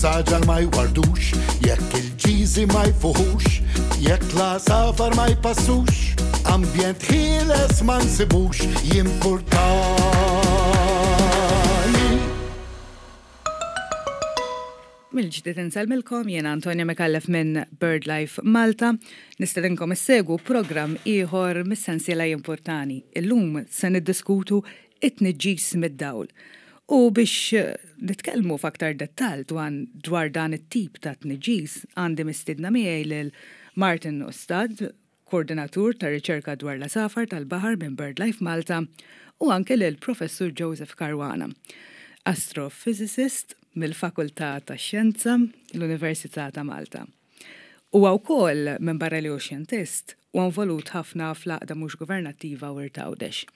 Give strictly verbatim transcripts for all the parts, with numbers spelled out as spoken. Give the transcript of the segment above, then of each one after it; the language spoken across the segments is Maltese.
is-saġar ma jwardux, jekk il-ġiżi ma jfuħux, jekk l-għasafar ma jpassux, ambjent ħieles ma nsibux, jimpurtani. Mill-ġdid insellmilkom, jiena Antonia Micallef minn BirdLife Malta. Nistedinkom issegwu programm ieħor mis-sensiela Jimpurtani. Illum se niddiskutu it-tniġġis mid-dawl. U biex nitkellmu f'aktar dettall dwar dan it-tip ta' tniġġis, għandi mistiedna miegħi lil Martin Ustad, koordinatur ta' riċerka dwar l-għasafar tal-baħar minn BirdLife Malta, u anke lil Professur Joseph Caruana, astrophysicist mill-Fakultà tax-Xjenza, l-Università ta' Malta. Huwa wkoll minn barra li hu xjentist u involut ħafna fl-għaqda mhux governattiva Wirt Għawdex.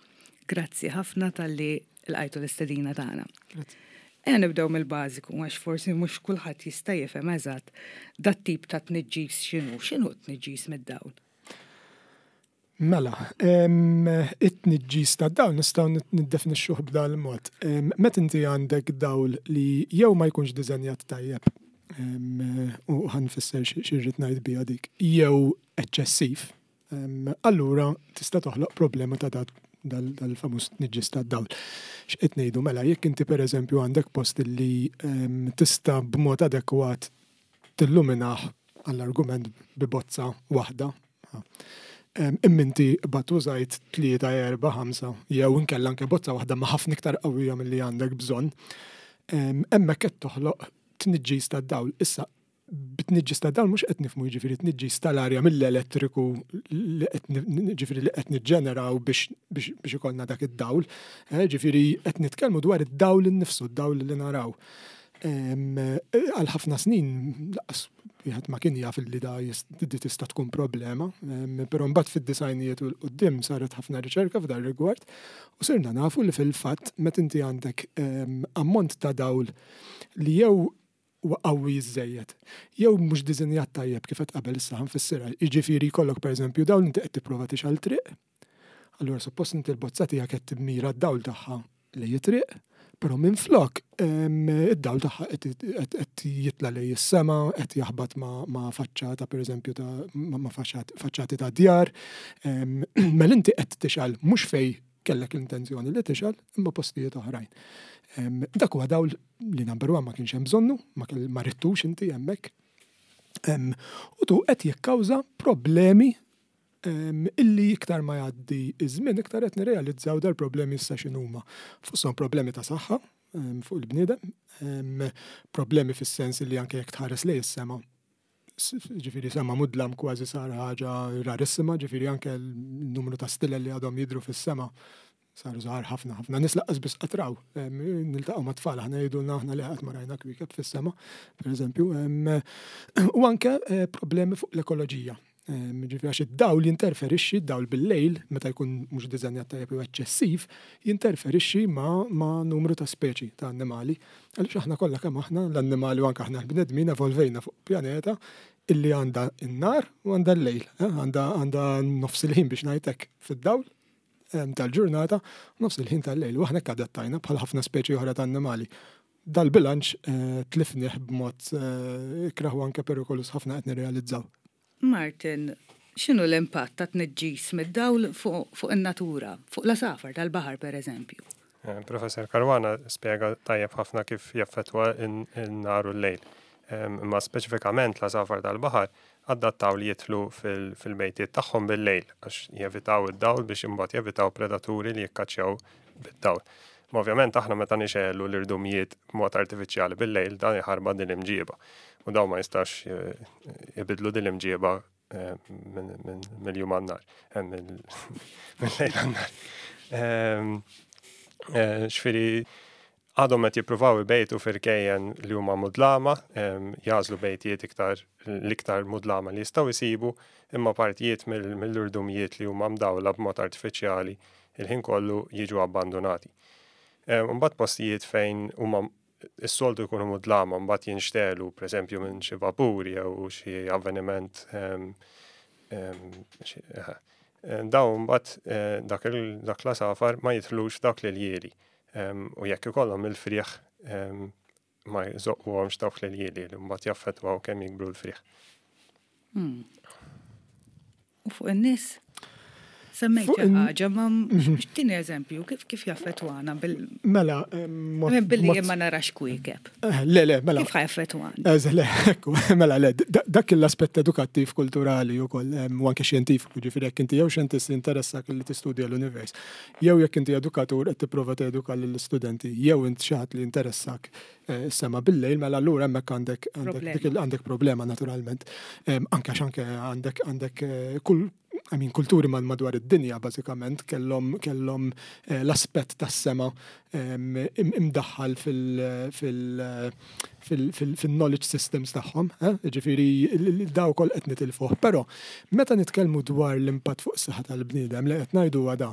Grazzi ħafna talli lqajtu l-istedina tagħna. Ejja nibdew mill-bażiku għax forsi mhux kulħadd jista' jifhem eżatt dat tip ta' tniġġis x'inhu, x'inhu tniġġis mid-dawl? Mela, it-tniġġis ta' dawl nistgħu niddefinixxuh b'dal mod. Meta inti għandek dawl li jew ma jkunx diżenjat tajjeb, u ħa nfisser x'irrid ngħid biha dik, jew eċċessiv, allura tista' toħloq problema ta' dal-famuż tniġġis ta' dawl. X'qed ngħidu mela, jekk inti pereżempju għandek post li tista' b'mod adekwat tilluminah għall-argument bi bozza waħda, imma inti bat użajt tlieta, erba', ħamsa, jew inkella anke bozza waħda ma' ħafna iktar qawwija milli għandek bżonn, hemmhekk qed toħloq tniġġis tad-dawl. Issa, bit-tniġġis tad-dawl mhux qed nifhmu jiġifieri tniġġis tal-arja mill-elettriku li qed jiġifieri li qed niġġeneraw biex, biex, biex ikollna dak id-dawl. Jiġifieri qed nitkellmu dwar id-dawl innifsu, id-dawl li naraw. Għal ħafna snin laqas wieħed ma kien jaf li da di tista' tkun problema, però mbagħad fid-disajnijiet u l-qudiem saret ħafna riċerka f'dan rigward u sirna nafu li fil-fatt meta inti għandek ammont ta' dawl li jew huwa qawwi żejjed, jew mhux diżinjat tajjeb kif qed qabel issa ħanfissirha, jiġifieri jkollok pereżempju dawl inti qed tipprova tixgħal triq, allura suppost inti l-bozza tiegħek qed timmira d-dawl tagħha lejn it-triq, però minflok id-dawl tagħha qed jitla' lejn is-sema, qed jaħbat ma' faċċata pereżempju ta' ma' faċċati ta' djar, mela inti qed tixgħal mhux fej kellek l-intenzjoni li tixgħal imma postijiet oħrajn. Dak huwa dawl li number one ma kienx hemm bżonnu, ma rittux inti hemmhekk. U tu qed jikkawża problemi illi iktar ma jgħaddi iż-żmien iktar qed nirrealizzaw dal-problemi issa x'inhuma. Fosthom problemi ta' saħħa fuq il-bniedem, problemi fis-sens li anke jekk tħares lejn is-sema, ġifieri sema mudlam kważi sar ħaġa rarissima, ġifieri anke l-numru ta' stilel li għadhom jidhru fis-sema saru żgħar ħafna ħafna. Nies lanqas biss qatraw, niltaqgħu ma' tfal aħna jgħidulna aħna li qatt ma rajna kwiekeb fis-sema, pereżempju, u anke problemi fuq l-ekoloġija. Ġifieri għax id-dawl jinterferixxi, id-dawl bil-lejl, meta jkun mhux diżenjat tajjeb jew eċċessiv, jinterferixxi ma', ma' numru ta' speċi ta' annimali. Għaliex aħna kollha kemm aħna l-annimali u anke aħna l-bnedmin evolvejna fuq pjaneta illi għandha n-nar u għandha l-lejl, għandha, għandha nofs il-ħin biex ngħidlek fid-dawl tal-ġurnata, nofs il-ħin tal-lejl. U aħna adattajna bħal ħafna speċi oħra ta' annimali. Dal-bilanċ tlifnih b'mod ikrah u anke perikolus ħafna qed nirrealizzaw. Martin, x'inhu l-impatt ta' tniġġis mid-dawl fuq, fuq in-natura, fuq l-għasafar tal-baħar pereżempju? Professor Caruana spjega tajjeb ħafna kif jaffettwa n-nar u l-lejl. Imma speċifikament l-għasafar tal-baħar adattaw li jidħlu fil-bejtiet tagħhom bil-lejl għax jevitaw id-dawl biex imbagħad jevitaw predaturi li jikkaċċjaw bid-dawl. Ma ovvjament aħna meta nixegħlu l-irdumijiet b'mod artifiċjali bil-lejl dan iħarba din l-imġieba. U daw ma jistax jibidlu din l-imġieba mill-jum għan-nar, mill-lejl għan-nar. Ġifieri għadhom qed jippruvaw ibejtu f'irkejjen li huma mudlama, jagħżlu bejtijiet iktar l-iktar mudlama li jistgħu jsibu, imma partijiet mill-irdumijiet li huma mdawla b'mod artifiċjali il-ħin kollu jiġu abbandonati. Mbagħad postijiet fejn huma is-soltu jkunu mudlama mbagħad jinxtelu pereżempju minn xi vapur jew xi avveniment dawn mbagħad dak dak l-għasafar ma jidħlux dak l-iljieli. U jekk ikollhom il-frieħ ma jżoqquhomx dawk l-iljieli li mbagħad jaffettwaw kemm jikbru l-frieħ. Hmm. U fuq in-nies? Semmejt xi ħaġa, ma mhm. x'tieni eżempju, kif kif jaffettwana bil Mela, billi jien ma narax kwiekeb. Eh, le, le, mela. Kif jaffettwana? Eh, le, ekku, mela, le, dak l-aspett edukattiv kulturali wkoll u anke xjentifiku, ġifieri jekk inti jew xjentist interessak li tistudja l-univers, jew jekk inti edukatur qed tipprova teduka lill-istudenti, jew int xi ħadd li interessak eh, sema bil-lejl, mela allura hemmhekk għandek għandek problema naturalment. Anke għax anke għandek għandek kull I mean, kulturi madwar id-dinja bażikament kellhom kellhom eh, l-aspett tas-sema imdaħħal fil-knowledge systems tagħhom, eh? Ġifieri daw koll qed nitilfuh. Però meta nitkellmu dwar l-impatt fuq is-saħħa tal-bniedem li qed ngħidu da.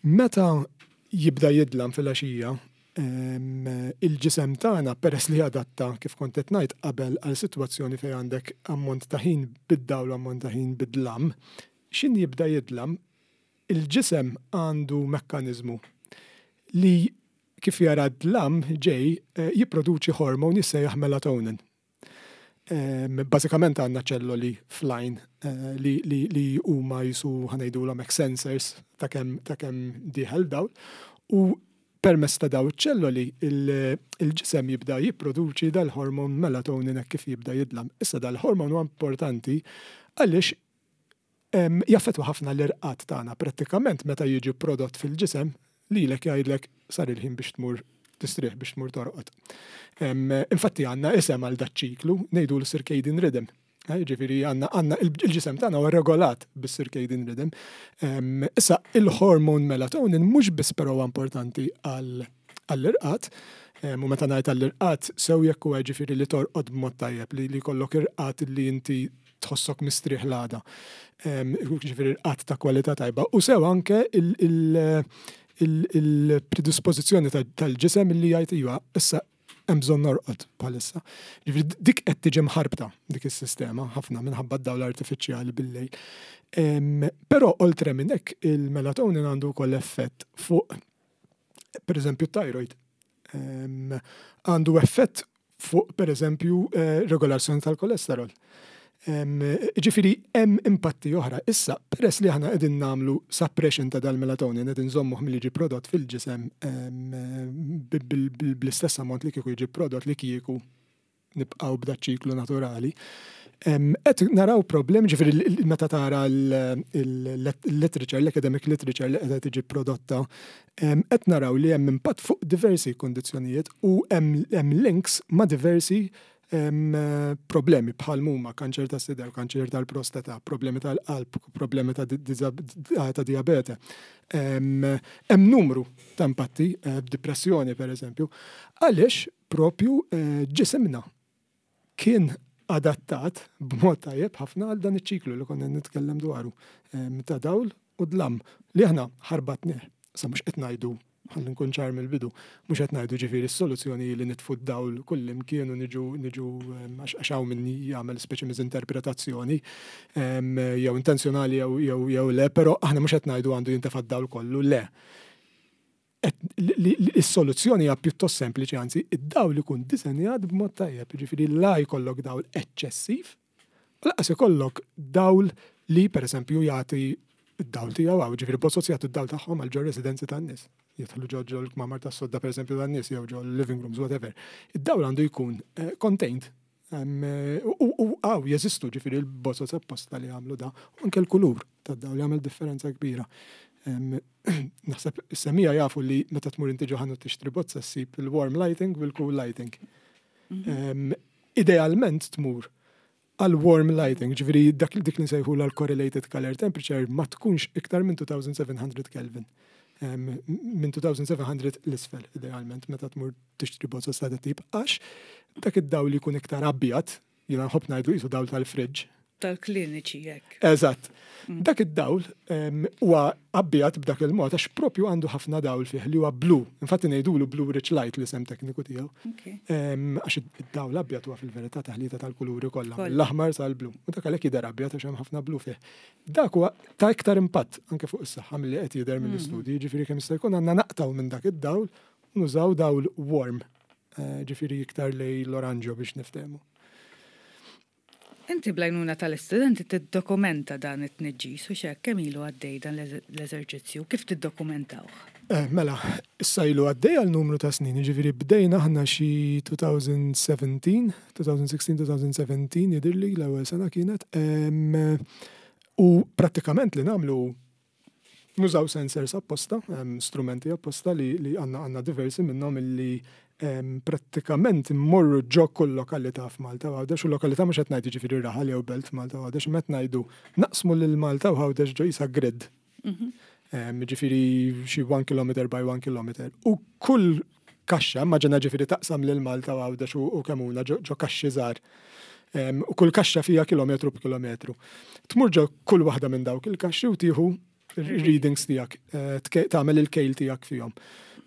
Meta jibda jidlam fil-għaxija, il-ġisem tagħna peress li adatta kif kont qed ngħid qabel għal sitwazzjoni fejn għandek ammont ta' ħin bid-dawl u ammont ta' ħin bid-dlam, x'ħin jibda jidlam, il-ġisem għandu mekkaniżmu li kif jara d-dlam ġej eh, jipproduċi hormon jissejjaħ melatonin. Bażikament għandna ċelloli fl-għajn eh, li, li, li huma jisu ħa ngħidulhom sensors ta' kemm ta' kemm dieħel dawl u permezz ta' daw iċ-ċelloli il-ġisem jibda jipproduċi dal-hormon melatonin hekk kif jibda jidlam. Issa dal-hormon huwa importanti għaliex jaffettwa ħafna l-irqad tagħna prattikament meta jiġi prodott fil-ġisem lilek jgħidlek sar il-ħin biex tmur tistrieħ biex tmur torqod. Infatti għandna isem għal daċ-ċiklu ngħidu l-circadian rhythm. Eh, ġifieri għandna għandna il-ġisem tagħna huwa regolat bis-circadian rhythm. Issa il-hormon melatonin mhux biss però importanti għall-irqad, u meta ngħid għall-irqad sew jekk huwa ġifieri li torqod b'mod tajjeb li jkollok irqad li inti tħossok mistrieħ l-għada. Ġifieri irqad ta' kwalità tajba u sew anke il-predispożizzjoni tal-ġisem li jgħid iva issa hemm bżonn norqod bħalissa. Ġifieri dik qed tiġi mħarbta dik is-sistema ħafna minħabba d-dawl artifiċjali bil-lejl. Però oltre minn hekk il-melatonin għandu wkoll effett fuq pereżempju thyroid. Għandu effett fuq pereżempju eh, regolazzjoni tal-kolesterol. Ġifieri hemm impatti oħra. Issa, peress li aħna qegħdin nagħmlu suppression ta' dal-melatonin, qegħdin nżommuh milli jiġi prodott fil-ġisem bl-istess ammont li kieku jiġi prodott li kieku nibqgħu b'da ċiklu naturali. Qed naraw problem, ġifieri meta tara l-literature, l-academic literature li qiegħda tiġi prodotta, qed naraw li hemm impatt fuq diversi kondizzjonijiet u hemm links ma' diversi problemi bħal huma kanċer ta' sider, kanċer tal-prostata, problemi tal-qalb, problemi ta' ta' diabete. Hemm numru ta' impatti, eh, depressjoni per eżempju, għaliex propju eh, ġisimna kien adattat b'mod tajjeb ħafna għal dan iċ-ċiklu li konna nitkellem dwaru ta' dawl u dlam li aħna ħarbatnieh. Sa mhux qed ngħidu ħalli nkun ċar mill-bidu, mhux qed ngħidu ġifieri s-soluzzjoni li nitfu d-dawl kull imkien u niġu niġu għax hawn min jagħmel speċi miżinterpretazzjoni jew intenzjonali jew jew le, però aħna mhux qed ngħidu għandu jintefa' d-dawl kollu, le. Is-soluzzjoni hija pjuttost sempliċi, anzi, id-dawl ikun disenjat b'mod tajjeb, ġifieri la jkollok dawl eċċessiv, u lanqas ikollok dawl li pereżempju jagħti id-dawl tiegħu hawn, ġifieri bozoz jagħtu d-dawl tagħhom għal ġo residenzi tan-nies. Jidħlu ġo ġo l-kmamar tas-sodda pereżempju tan-nies jew ġo living rooms, whatever. Id-dawl għandu jkun eh, contained. U għaw jeżistu ġifieri l-bozoz apposta li għamlu da, u anke l-kulur tad-dawl jagħmel differenza kbira. Naħseb is-semija jafu li meta tmur inti ġo ħanut tixtri bozza ssib il-warm lighting u l-cool lighting. Mhm. Idealment tmur għal warm lighting, ġifieri dak dik li nsejħu l correlated color temperature ma tkunx iktar minn two thousand seven hundred Kelvin. Minn two thousand seven hundred l-isfel, idealment, meta tmur tixtri bozza ta' tip, għax dak id-dawl li jkun iktar abjad, jiena nħobb ngħidu jisu dawl tal-fridge. Tal-kliniċi jekk. Eżatt. Mm. Dak id-dawl huwa abjad b'dak il-mod għax propju għandu ħafna dawl fih li huwa blu. Infatti ngħidulu blue rich light l-isem tekniku tiegħu. Għax id-dawl abjad huwa fil-verità taħlita tal-kuluri kollha, l-aħmar sal-blu. U dak għalhekk jidher abjad għax hemm ħafna blu fih. Dak huwa ta' iktar impatt anke fuq is-saħħa milli qed jidher mill-istudji, mm. ġifieri kemm jista' jkun għandna naqtaw minn dak id-dawl u nużaw dawl warm. Eh, ġifieri iktar lejn l-oranġo biex niftehmu. Inti bl-għajnuna tal-istudenti tiddokumenta dan it-tniġġis u xek kemm ilu għaddej dan l-eżerċizzju, kif tiddokumentawh? Eh, mela, issa ilu għaddej għal numru ta' snin, ġifieri bdejna aħna xi elfejn u sbatax, elfejn u sittax, elfejn u sbatax jidhirli l-ewwel sena kienet. U prattikament li nagħmlu, nużaw sensors apposta, strumenti apposta li għandna għandna diversi minnhom illi prattikament immorru ġo kull lokalità f'Malta u Għawdex, u lokalità mhux qed ngħid ġifieri raħal jew belt Malta u Għawdex, qed ngħidu naqsmu lil Malta u Għawdex ġo isa grid. Mhm. Ġifieri xi one kilometer by one kilometer. U kull kaxxa, immaġina ġifieri taqsam lil Malta u Għawdex u Kemmuna ġo kaxxi żgħar. U kull kaxxa fija kilometru b'kilometru. Tmur ġo kull waħda minn dawk il-kaxxi u tieħu readings tiegħek, eh, tagħmel il-kejl tiegħek fihom.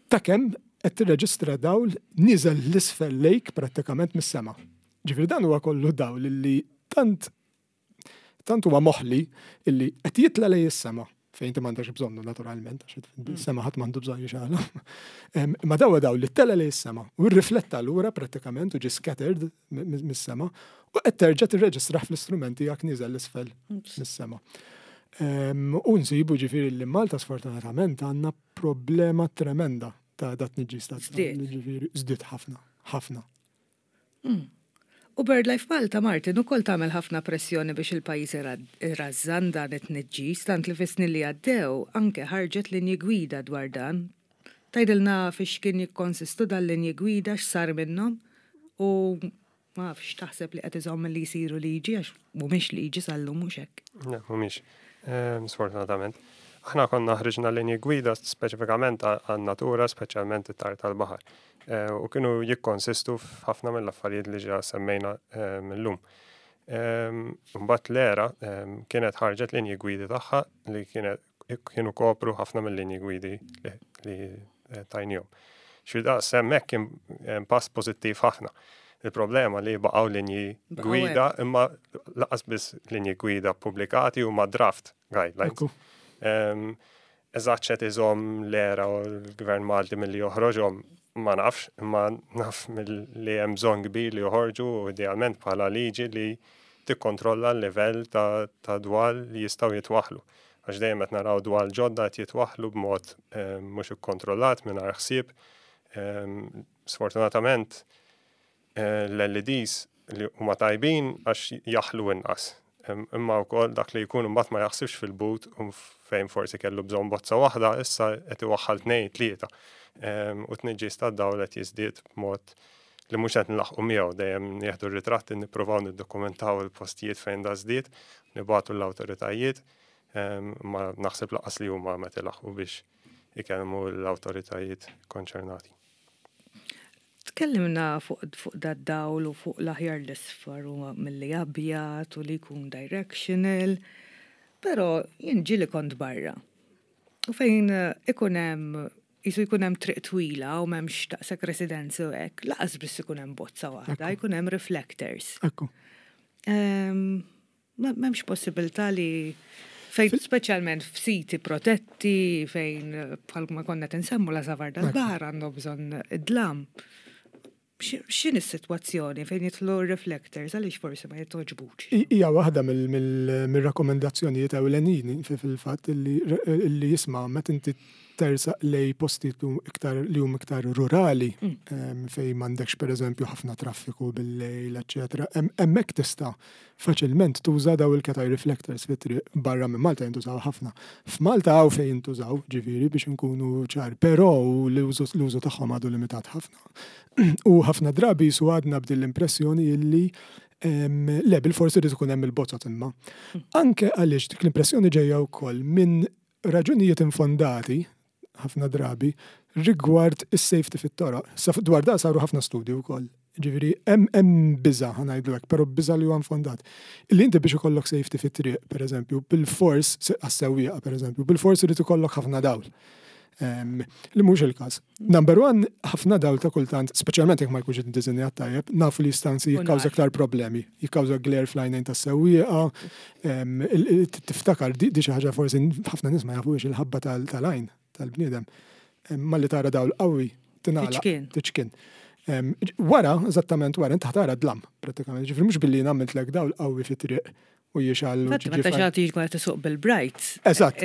Ta' kemm qed tirreġistra dawl niżel 'l isfel lejk prattikament mis-sema. Ġifieri dan huwa kollu dawl li tant tant huwa moħli illi qed jitla lejn is-sema fejn inti m'għandekx bżonnu naturalment, għax is-sema ħadd m'għandu bżonn jixgħelu. Ma dawa dawl li tela lejn is-sema u rrifletta lura prattikament u ġi scattered mis-sema u qed terġa' tirreġistrah fl-istrumenti jak niżel 'l isfel mis-sema. U nsibu ġifieri li Malta sfortunatament għandna problema tremenda ta' dat tniġġis ta' ġifieri żdied ħafna, ħafna. Hmm. U BirdLife Malta, Martin, ukoll tagħmel ħafna pressjoni biex il-pajjiż irrażżan dan it-tniġġis, tant li fis-snin li għaddew anke ħarġet linji gwida dwar dan. Tgħidilna fiex kien jikkonsistu dal-linji gwida, x'sar minnhom u ma nafx taħseb li qed iżomm li jsiru liġi, għax mhumiex liġi sal-lum, mhux hekk? Le, mhumiex. Ehm, sfortunatament. Aħna konna ħriġna linji gwida speċifikament għan-natura, speċjalment it-tajr tal-baħar. Eh, u kienu jikkonsistu f'ħafna mill-affarijiet li ġa semmejna eh, millum. Ehm, mbagħad l-ERA ehm, kienet ħarġet linji gwidi tagħha li kienet kienu kopru ħafna mill-linji gwidi li eh, tajnihom. Xi daqs hemmhekk kien pass pożittiv ħafna. Il-problema li baqgħu linji gwida imma lanqas biss linji gwida pubblikati, huma draft guidelines. Eżatt x'qed iżomm l-ERA u l-Gvern Malti milli joħroġhom ma nafx, imma naf li hemm bżonn kbir li joħorġu u idealment bħala liġi li tikkontrolla l-livell ta', ta dwal li jistgħu jitwaħlu. Għax dejjem qed naraw dwal ġodda qed jitwaħlu b'mod eh, mhux ikkontrollat, mingħajr ħsieb. Sfortunatament eh, l-L E Ds li huma tajbin għax jaħlu inqas. Imma wkoll dak li jkun mbagħad ma jaħsibx fil-but u fejn forsi kellu bżonn bozza waħda, issa qed iwaħħal tnejn, tlieta. U tniġġis tad-dawl qed jiżdied b'mod li mhux qed nlaħqu miegħu. Dejjem nieħdu r-ritratti, nippruvaw niddokumentaw il-postijiet fejn da żdied, nibagħtu l-awtoritajiet, ma naħseb lanqas li huma meta ilaħqu biex ikellmu l-awtoritajiet konċernati. Tkellimna fuq fuq dad-dawl u fuq l-aħjar l-isfar u milli abjad u li jkun directional, però jien ġieli kont barra. U fejn ikun hemm jisu jkun hemm triq twila u m'hemmx daqshekk residenzi u hekk, lanqas biss ikun hemm bozza waħda, jkun hemm reflectors. Ekku. M'hemmx possibilità li fejn speċjalment f'siti protetti, fejn bħal ma konna tinsemmu l-għasafar dal-baħar għandhom bżonn id-dlam. X'inhi s-sitwazzjoni fejn jidħlu reflectors, għaliex forsi ma jitogħġbux? Hija waħda mill-rakkomendazzjonijiet ewlenin fil-fatt li jisma' meta inti tersaq lejn postijiet iktar li huma iktar rurali mm. fejn m'għandekx pereżempju ħafna traffiku bil-lejl, eċetera. Hemmhekk tista' faċilment tuża daw il-cat reflectors fit-triq. Barra minn Malta jintużaw ħafna. F'Malta hawn fejn jintużaw, ġifieri biex inkunu ċar, però l-użu tagħhom għadu limitat ħafna. U ħafna drabi su għadna b'din l-impressjoni illi le, bil-forsi irid ikun hemm il-bozzot imma. Mm. Anke għaliex dik l-impressjoni ġejja wkoll minn raġunijiet infondati ħafna drabi rigward is-safety fit-toroq. Dwar da saru ħafna studji wkoll. Ġifieri hemm hemm biża', ħa ngħidlu hekk, però biża' li huwa infondat. Illi inti biex ikollok safety fit-triq, pereżempju, bil-fors għas-sewwieqa pereżempju, bil-fors irid ikollok ħafna dawl. Li mhux il-każ. Number one, ħafna dawl ta' kultant, speċjalment jekk ma jkunx iddisinjat tajjeb, nafu li jista' anzi jikkawża aktar problemi. Jikkawża glare fl-għajnejn tas-sewwieqa, tiftakar di xi ħaġa forsi ħafna nies ma jafux, il-ħabba tal-għajn tal-bniedem. Malli tara dawl qawwi tingħalaq. Tiċkien. Wara, eżattament wara, inti tara dlam, pratikament. Ġifieri mhux billi nagħmiltlek dawl qawwi fit-triq u jixgħel. Fatt, meta xi ħadd jiġi qed isuq bil-brights. Eżatt.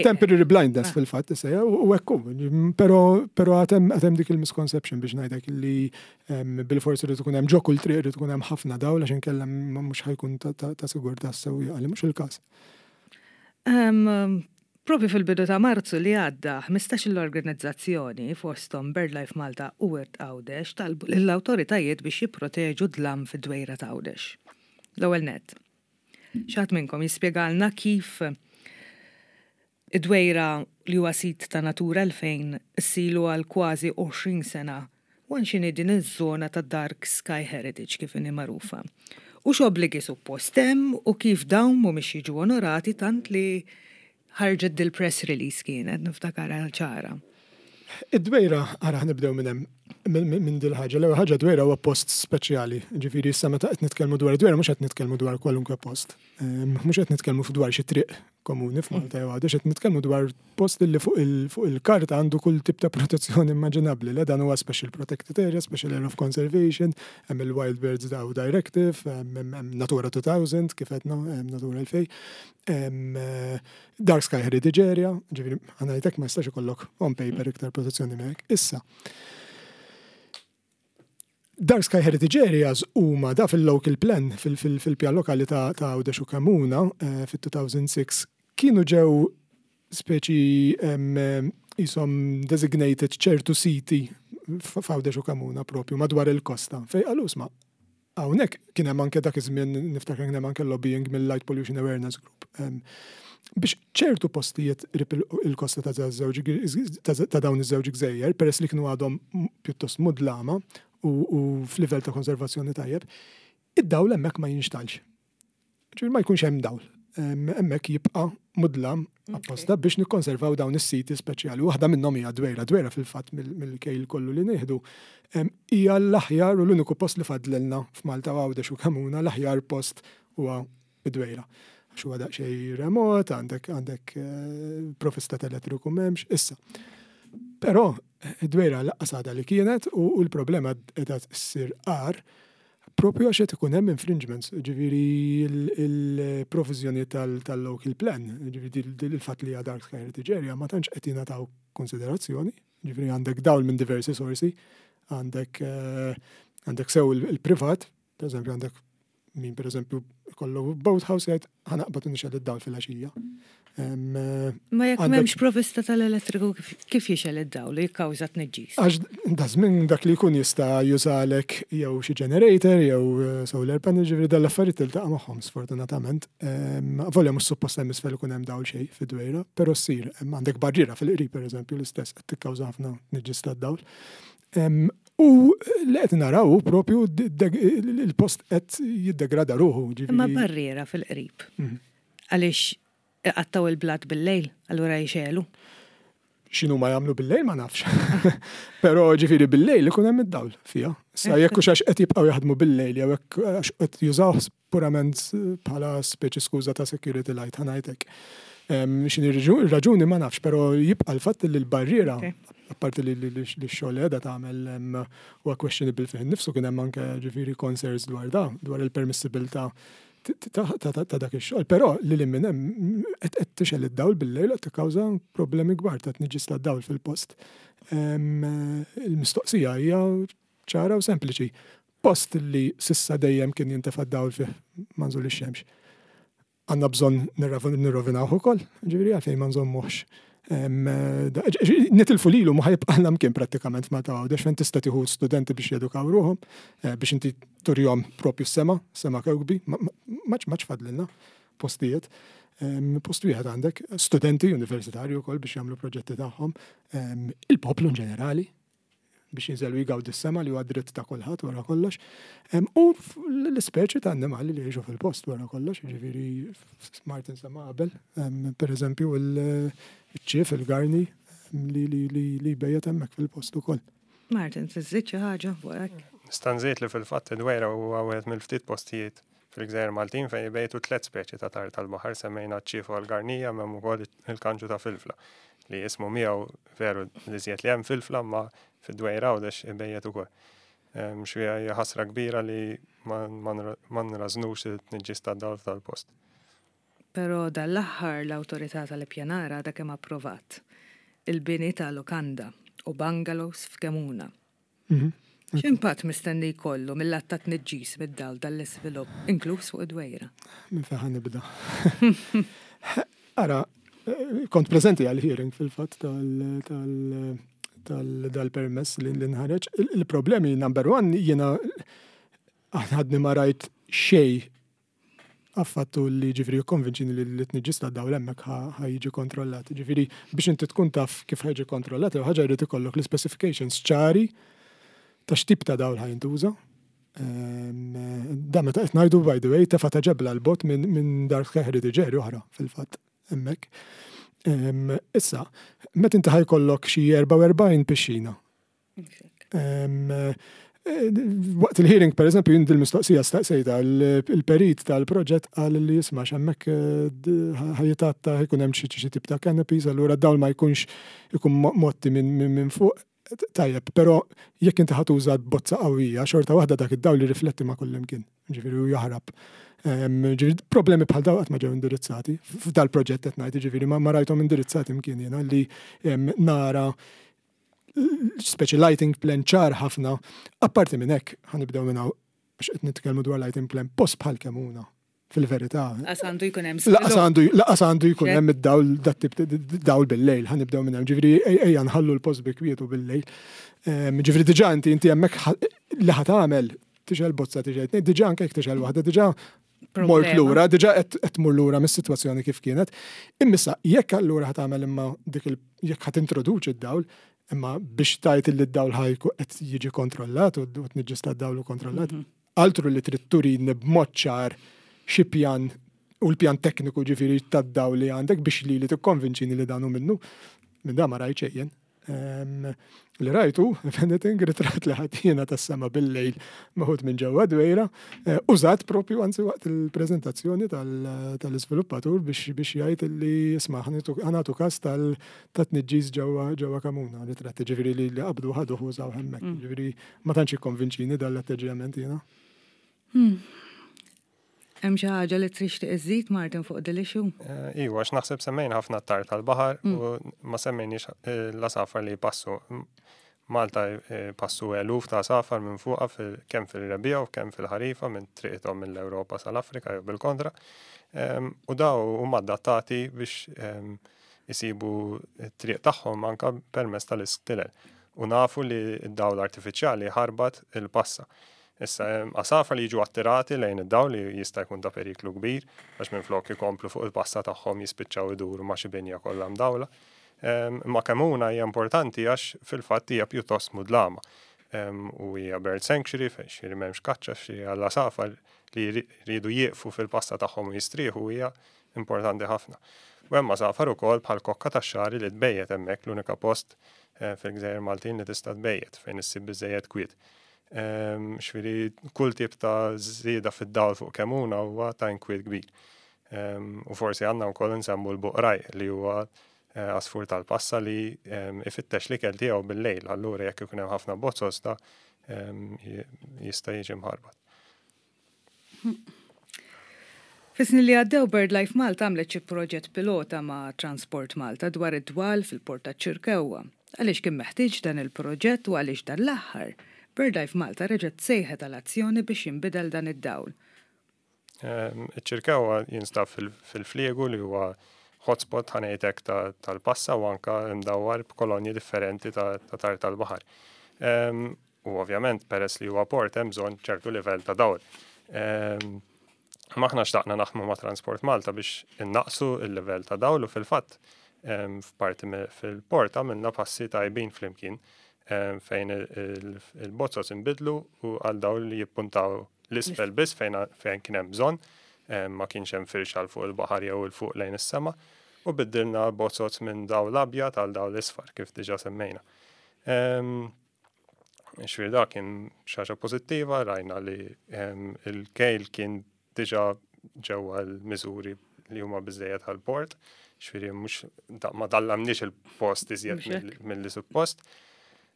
Temporary blindness ah. fil-fatt, issa, u hekk Però però għad hemm dik il-misconception biex ngħidlek li bil-forsi li tkun hemm ġo kull triq li tkun hemm ħafna dawl għax inkella mhux ħa jkun ta' sigurtà sewwieqa li mhux il-każ. Propju fil-bidu ta' Marzu li għadda, ħmistax l-organizzazzjoni fostom BirdLife Malta u Wirt Għawdex talbu l-autoritajiet biex jipproteġu dlam fid-dwejra ta' Għawdex. L-ewwel net. Xi ħadd minnkom jispjegalna kif id-dwejra li huwa sit ta' Natura elfejn ilu għal kważi għoxrin sena u x'inhi din iż-żona ta' Dark Sky Heritage kif inhi magħrufa. U x'obbligi suppost hemm u kif dawn mhumiex jiġu onorati tant li ħarġet dil-press release kienet, niftakarha ċara. Id-dwejra, ara nibdew minn hemm minn dil ħaġa. L-ewwel ħaġa dwejra huwa post speċjali. Ġifieri issa meta qed nitkellmu dwar dwejra mhux qed nitkellmu dwar kwalunkwe post. Mhux qed nitkellmu dwar xi triq komuni f'Malta jew Għawdex, qed nitkellmu dwar post li fuq il-karta għandu kull tip ta' protezzjoni immaġinabbli. Le dan huwa Special Protected Area, Special Area of Conservation, hemm il-Wild Birds Daw Directive, hemm Natura two thousand, kif għedna, hemm Natura elfejn, Dark Sky Heritage Area, ġifieri ħa ngħidlek ma jistax ikollok on paper iktar protezzjoni minn hekk. Issa, Dark Sky Heritage Areas huma da fil-local plan, fil-pjan lokali ta' Għawdex u Kemmuna eh, fil-two thousand six kienu ġew speċi jisom designated ċertu siti f'Għawdex u Kemmuna propju madwar il-kosta. Fej qalu isma' hawnhekk kien hemm anke dak iż-żmien niftakar kien hemm anke lobbying mill-Light Pollution Awareness Group biex ċertu postijiet qrib il-kosta ta' ta' dawn iż-żewġ gżejjer, peress li kienu għadhom pjuttost mudlama u f'livell ta' konservazzjoni tajjeb, id-dawl hemmhekk ma jinxtgħelx. Ġifieri ma jkunx hemm dawl. Hemmhekk jibqa' mudlam apposta biex nikkonservaw dawn is-siti speċjali. Waħda minnhom hija Dwejra. Dwejra fil-fatt mill-kejl kollu li nieħdu hija l-aħjar u l-uniku post li fadlilna f'Malta, Għawdex u Kemmuna, l-aħjar post huwa Dwejra. Għax huwa daqsxejn remot, għandek għandek eh, provvista elettriku m'hemmx, issa. Però id-dwejra lanqas għadha li kienet u l-problema qiegħda ssir agħar propju għax qed ikun hemm infringements, ġifieri il-provviżjoni tal-local plan, ġifieri il-fatt li Dark Sky Heritage Area ma tantx qed jingħataw konsiderazzjoni, ġifieri għandek dawl minn diversi sorsi, għandek eh, għandek sew il-privat, per eżempju għandek min per eżempju kollu boathouse jgħid ħa naqbad nixgħel id-dawl fil-għaxija. Ma jekk m'hemmx provista tal-elettriku kif jixgħel id-dawl li jikkawża tniġġis? Għax dażmien dak li jkun jista' jużalek jew xi generator jew eh, solar panel, ġifieri dal-affarijiet tiltaqa' magħhom sfortunatament. Volja mhux suppost hemm isfel ikun hemm dawl xejn fid-dwejra, però ssir għandek barriera fil-qrib pereżempju l-istess qed tikkawża ħafna tniġġis tad-dawl. U li qed naraw propju il-post qed jiddegrada ruħu. Imma barriera fil-qrib. Mhm. Għaliex iqattgħu il-blat bil-lejl, allura jixegħlu. X'inhu ma jagħmlu bil-lejl ma nafx. Però ġifieri bil-lejl ikun hemm id-dawl fiha. Sa jekk hux għax qed jibqgħu jaħdmu bil-lejl jew hekk għax qed jużaw purament bħala speċi skuża ta' security light ħa ngħidlek. X'inhi raġuni ma nafx, però jibqa' l-fatt li l-barriera, apparti li x-xogħol qiegħda tagħmel huwa questionable fih innifsu, kien hemm anke ġifieri concerns dwar da, dwar il-permissibilità ta' dak ix-xogħol, però li li minn hemm qed tixgħel id-dawl bil-lejl qed tikkawża problemi kbar ta' tniġġis tad-dawl fil-post. Il-mistoqsija hija ċara u sempliċi. Post li s'issa dejjem kien jintefa' d-dawl fih ma' nżul ix-xemx. Għandna bżonn nirrovinawh ukoll, ġifieri għalfejn ma nżommuhx. Nitilfu lilu ma ħa jibqa' mkien prattikament ma ta' Għawdex fejn tista' tieħu studenti biex jedukaw ruħhom, eh, biex inti turihom propju s-sema, sema kewkbi, maċ maċ fadlilna postijiet. Post wieħed għandek studenti universitarju wkoll biex jagħmlu proġetti tagħhom, il-poplu in ġenerali biex jinżelu jgawdi s-sema li huwa dritt ta' kulħadd wara kollox. U l-ispeċi ta' annimali li jgħixu fil-post wara kollox, ġifieri Martin sema qabel, per eżempju il-ċief, il-garni li li jbejjet hemmhekk fil-post ukoll. Martin, tiżżid xi ħaġa fuq hekk? Nista' nżid li fil-fatt id-dwejra huwa wieħed mill-ftit postijiet fil-Gżejjer Maltin fejn jbejtu tliet speċi ta' tajr tal-baħar, semmejna ċ-ċief u l-garnija, m'hemm ukoll il-kanġu ta' filfla li jismu miegħu veru li żjed li hemm filfla ma fid-dwejra Għawdex ibejjet ukoll. Xi hija ħasra kbira li ma nrażnux it-tniġġis tad-dawl tal-post. Però dal-aħħar l-Awtorità tal-Ippjanar għadha kemm approvat il-bini ta' lukanda u bungalows f'Kemuna. Mhm. X'impatt mistenni jkollu mill-att ta' tniġġis mid-dawl dal-iżvilupp, inkluż fuq id-Dwejra? Minn fejn nibda? Ara, kont preżenti għal-hearing fil-fatt tal-permess li nħareġ. Il-problemi number one, jiena għadni ma rajt xejn affattu li ġifieri konvinċini li l-tniġġis ta' dawl hemmhekk ħa jiġi kontrollat. Ġifieri biex inti tkun taf kif ħa jiġi kontrollat, ħaġa jrid ikollok l-specifications ċari ta' x'tip ta' dawl ħa jintuża. Da meta qed ngħidu, by the way, tefa' ta' ġebla 'l bogħod minn Dark Sky Heritage Area oħra fil-fatt hemmhekk. Issa, meta inti ħa jkollok xi erbgħa u erbgħin pixxina. Waqt il-hearing, per eżempju, jien dil-mistoqsija staqsejta, il-perit tal-proġett qal li jisma' hemmhekk ħa jitatta, jkun hemm xi tip ta' canopies, allura dawl ma jkunx ikun motti minn fuq. Tajjeb, però jekk inti ħa tuża bozza qawwija, xorta waħda dak id-dawl li rifletti ma' kullimkien, ġifieri u jaħrab. Ġifieri problemi bħal daw qatt ma ġew indirizzati. F'dal proġett qed ngħid, ġifieri ma rajthom indirizzati mkien jiena li nara speċi lighting plan ċar ħafna. Apparti minn hekk, ħa nibdew minn hawn biex qed nitkellmu dwar lighting plan, post bħal Kemuna fil-verità. Lanqas għandu jkun hemm. Lanqas għandu jkun hemm id-dawl, dat-tip dawl bil-lejl, ħa nibdew minn hemm. Ġifieri ejja nħallu l-post bi kwietu bil-lejl. Ġifieri diġà inti inti hemmhekk li ħa tagħmel tixgħel bozza, tixgħel, diġà anke jekk tixgħel waħda, diġà mort lura, diġà qed tmur lura mis-sitwazzjoni kif kienet. Immissa jekk allura ħa tagħmel imma dik il jekk ħa tintroduċi d-dawl, imma biex tgħid li d-dawl ħa jkun qed jiġi kontrollat u tniġġis tad-dawl u kontrollat. Mhm. Altru li trid turini b'mod ċar xi pjan u l-pjan tekniku ġifieri tad-dawl li għandek biex li li tikkonvinċini li dan hu minnu. Minn da ma rajt xejn. Li rajtu, if anything, ritratt li ħatina tas-sema bil-lejl meħud minn ġewwa Dwejra, eh, użat propju anzi waqt il-preżentazzjoni tal-iżviluppatur biex biex jgħid li isma' ħa nagħtu każ tal-tniġġis ġewwa ġewwa Kemuna. Ritratt ġifieri li qabdu ħadu użaw hemmhekk. Mm. Ġifieri ma tantx ikkonvinċini dal-atteġġjament jiena. Hmm. Hemm xi ħaġa li tixtieq iżid, Martin, fuq din l-issue? Eh, iwa, għax naħseb semmejna ħafna t-tajr tal-baħar mm. u ma semmejniex eh, l-għasafar li passu. Malta eh, passu eluf ta' għasafar minn fuqha kemm fil-rebbiegħa u kemm fil-ħarifa minn triqithom mill-Ewropa sal-Afrika jew bil-kontra. U daw huma adattati biex isibu t-triq tagħhom anka permezz tal-istilel. U nafu li d-dawl artifiċjali ħarbat il-passa. Issa, għasafar li jiġu attirati lejn id-dawl li jista' jkun ta' periklu kbir, għax minn flok ikomplu fuq il-passa tagħhom jispiċċaw iduru ma' xi binja kollha mdawla. Ma Kemuna hija importanti għax fil-fatt hija pjuttost mudlama. U hija bird sanctuary fejn xi m'hemmx kaċċa, xi għall-għasafar li jridu jieqfu fil-passa tagħhom u jistrieħu hija importanti ħafna. U hemm għasafar ukoll bħal kokka tax-xagħri li tbejjet hemmhekk, l-unika post eh, fil-Gżejjer Maltin li tista' tbejjet fejn issib biżejjed kwiet. Ġifieri kull tip ta' żieda fid-dawl fuq Kemuna huwa ta' inkwiet kbir. U forsi għandna wkoll nsemmu l-buqraj li huwa eh, għasfur tal-passa li ifittex l-ikel tiegħu bil-lejl, allura jekk ikun hemm ħafna bozzos ta' jista' jiġi mħarbat. Fis-snin li għaddew, BirdLife Malta għamlet xi proġett pilota ma' Transport Malta dwar id-dwal fil-port ta' Ċirkewwa. Għaliex kien meħtieġ dan il-proġett u għaliex dan l-aħħar BirdLife Malta reġgħet sejħet għal azzjoni biex jinbidel dan id-dawl? Iċ-Ċirkewwa jinstab fil-Fliegu li huwa hotspot, ħa ngħidlek, tal-passa u anka mdawwar b'kolonji differenti ta' tajr tal-baħar. U ovvjament peress li huwa port hemm bżonn ċertu livell ta' dawl. Aħna xtaqna naħdmu ma' Transport Malta biex innaqsu il-livell ta' dawl u fil-fatt f'parti fil-port għamilna passi tajbin flimkien fejn il-bozzos inbidlu u għal dawl li jippuntaw 'l isfel biss fejn kien hemm bżonn, ma kienx hemm firxa fuq il-baħar jew 'il fuq lejn is-sema, u biddilna bozzos minn dawl abjad għal dawl isfar kif diġà semmejna. Ġifieri da kien xi ħaġa pożittiva, rajna li il-kejl kien diġà ġewwa l-miżuri li huma biżejjed għal-port, ġifieri mhux ma dallamniex il-post iżjed mill-li suppost.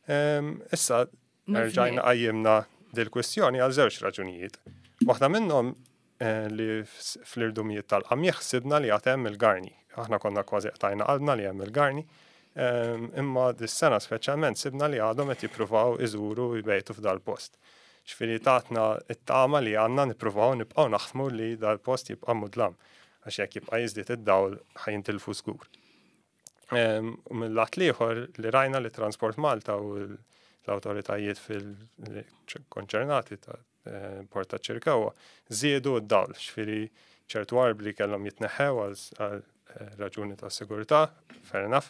Issa, Rġajna qajjimna dil-kwistjoni għal żewġ raġunijiet. Waħda minnhom eh, li fl-irdumijiet tal-qamieħ sibna li għad hemm il-garni. Aħna konna kważi qtajna qalbna li hemm il-garni, ehm, imma dis-sena speċjalment sibna li għadhom qed jippruvaw iżuru jbejtu f'dal-post. Ġifieri tatna it-tama li għandna nippruvaw nibqgħu naħdmu li dal-post jibqa' mudlam, għax jekk jibqa' jiżdied id-dawl ħa jintilfu żgur. Ehm, u mill-lat l-ieħor li rajna li Transport Malta u l-awtoritajiet fil-konċernati ta' eh, Port ta' Ċirkewwa żiedu d-dawl, ġifieri ċertu arbli kellhom jitneħħew għal eh, raġuni ta' sigurtà, fair enough.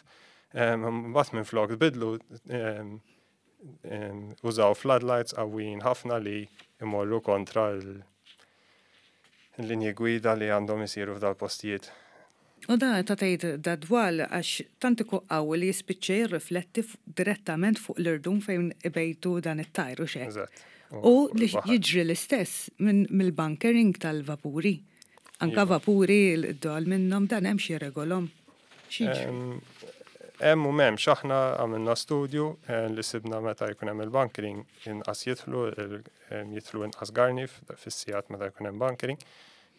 Ehm, mbagħad minflok bidlu ehm, użaw floodlights qawwijin ħafna li imorru kontra l-linji gwida li għandhom isiru f'dal-postijiet. U da ta' tgħid da dwal għax tant ikun qawwi li jispiċċa jirrifletti direttament fuq l-irdum fejn ibejtu dan it-tajru xek. Eżatt. U li jiġri l-istess mill-bunkering tal-vapuri. Anka iva. Vapuri l-dwal minnhom dan hemm xi regolhom. Hemm u m'hemmx. Aħna għamilna studju eh, li sibna meta jkun hemm il-bunkering inqas jidħlu jidħlu inqas garni fis-sigħat meta jkun hemm bunkering.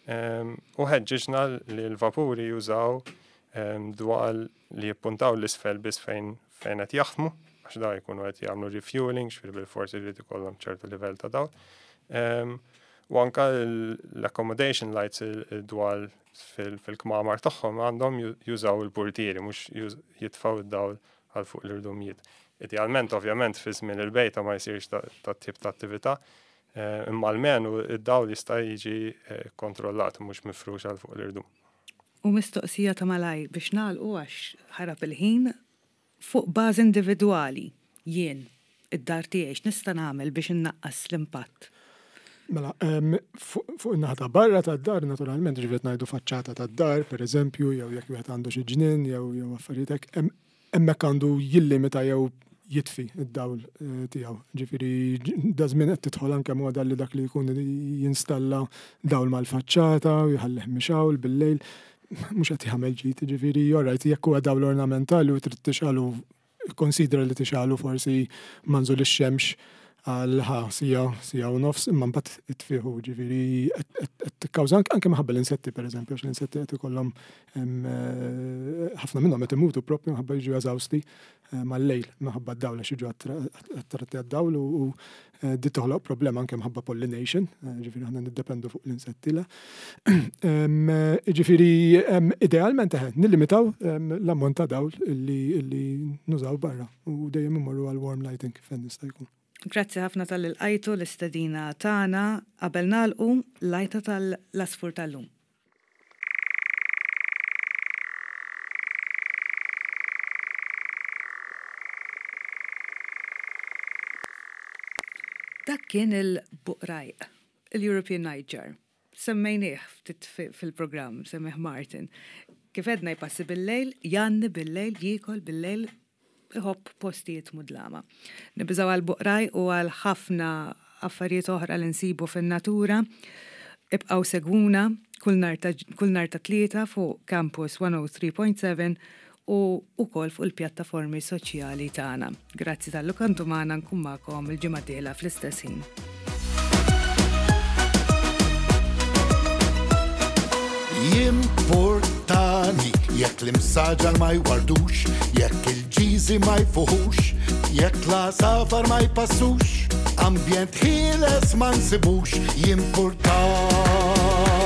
U ħeġġiġna li l-vapuri jużaw dwal li jippuntaw l-isfel biss fejn fejn qed jaħdmu, għax da jkunu qed jagħmlu refueling, ġifieri bil-forsi jrid ikollhom ċertu livell ta' dawl. U anka l-accommodation lights, il-dwal fil-kmamar tagħhom, għandhom jużaw il-portieri, mhux jitfaw id-dawl għal fuq l-irdumijiet. Idealment, ovvjament, fi żmien il-bejta ma jsirx ta' tip ta' attività, eh, imma almenu id-dawl jista' jiġi eh, kontrollat mhux mifrux għal fuq l-irdum. U mistoqsija ta' malaj biex nagħlqu għax ħarab il-ħin, fuq bażi individwali, jien, id-dar tiegħi, x'nista' nagħmel biex innaqqas l-impatt? Mela, fuq in-naħa ta' barra tad-dar, naturalment, ġifieri ngħidu faċċata tad-dar, per eżempju, jew jekk wieħed għandu xi ġnien jew jew affarijiet hekk, hemmhekk għandu jillimita jew jitfi id-dawl eh, tiegħu. Ġifieri da żmien qed tidħol anke moda li dak li jkun jinstalla dawl mal-faċċata u jħallih mixgħul bil-lejl, mhux qed jagħmel ġid, ġifieri alright jekk huwa dawl ornamentali u trid tixgħelu, konsidra li tixgħelu forsi ma' nżul ix-xemx għal ħa siegħa, siegħa u nofs, imma mbagħad itfiħu, ġifieri qed tikkawża anke minħabba l-insetti, pereżempju, għax l-insetti qed ikollhom eh, ħafna minnhom qed imutu propju minħabba jiġu eżawsti eh, mal-lejl minħabba d-dawl, għax jiġu attratti għad-dawl u eh, di toħloq problema anke minħabba pollination, ġifieri aħna niddependu fuq l-insetti la. Ġifieri idealment eħe nillimitaw l-ammont ta' dawl illi nużaw barra u dejjem immorru għal warm lighting fejn nista' jkun. Grazzi ħafna talli lqajtu l-istedina tagħna. Qabel nagħlqu, l-għajta tal-għasfur tal-lum. Dak kien il-buqrajq, il-European Nightjar. Semmejnieh ftit fil-programm, semmih Martin. Kif edna jpassi bil-lejl, jgħanni bil-lejl, jiekol bil-lejl, iħobb postijiet mudlama. Nibżaw għal-buqraj u għal ħafna affarijiet oħra li nsibu fin-natura. Ibqaw segwuna kull nhar ta' Tlieta fuq Campus one oh three point seven u ukoll fuq il-pjattaformi soċjali tagħna. Grazzi talli kontu magħna, nkun magħkom il-ġimgħa dieħla fl-istess ħin. Jimportani jekk l-imsaġar ma jwardux, jekk il-ġiżi ma jfuħux, jekk l-għasafar ma jpassux, ambjent ħieles ma nsibux, jimportani.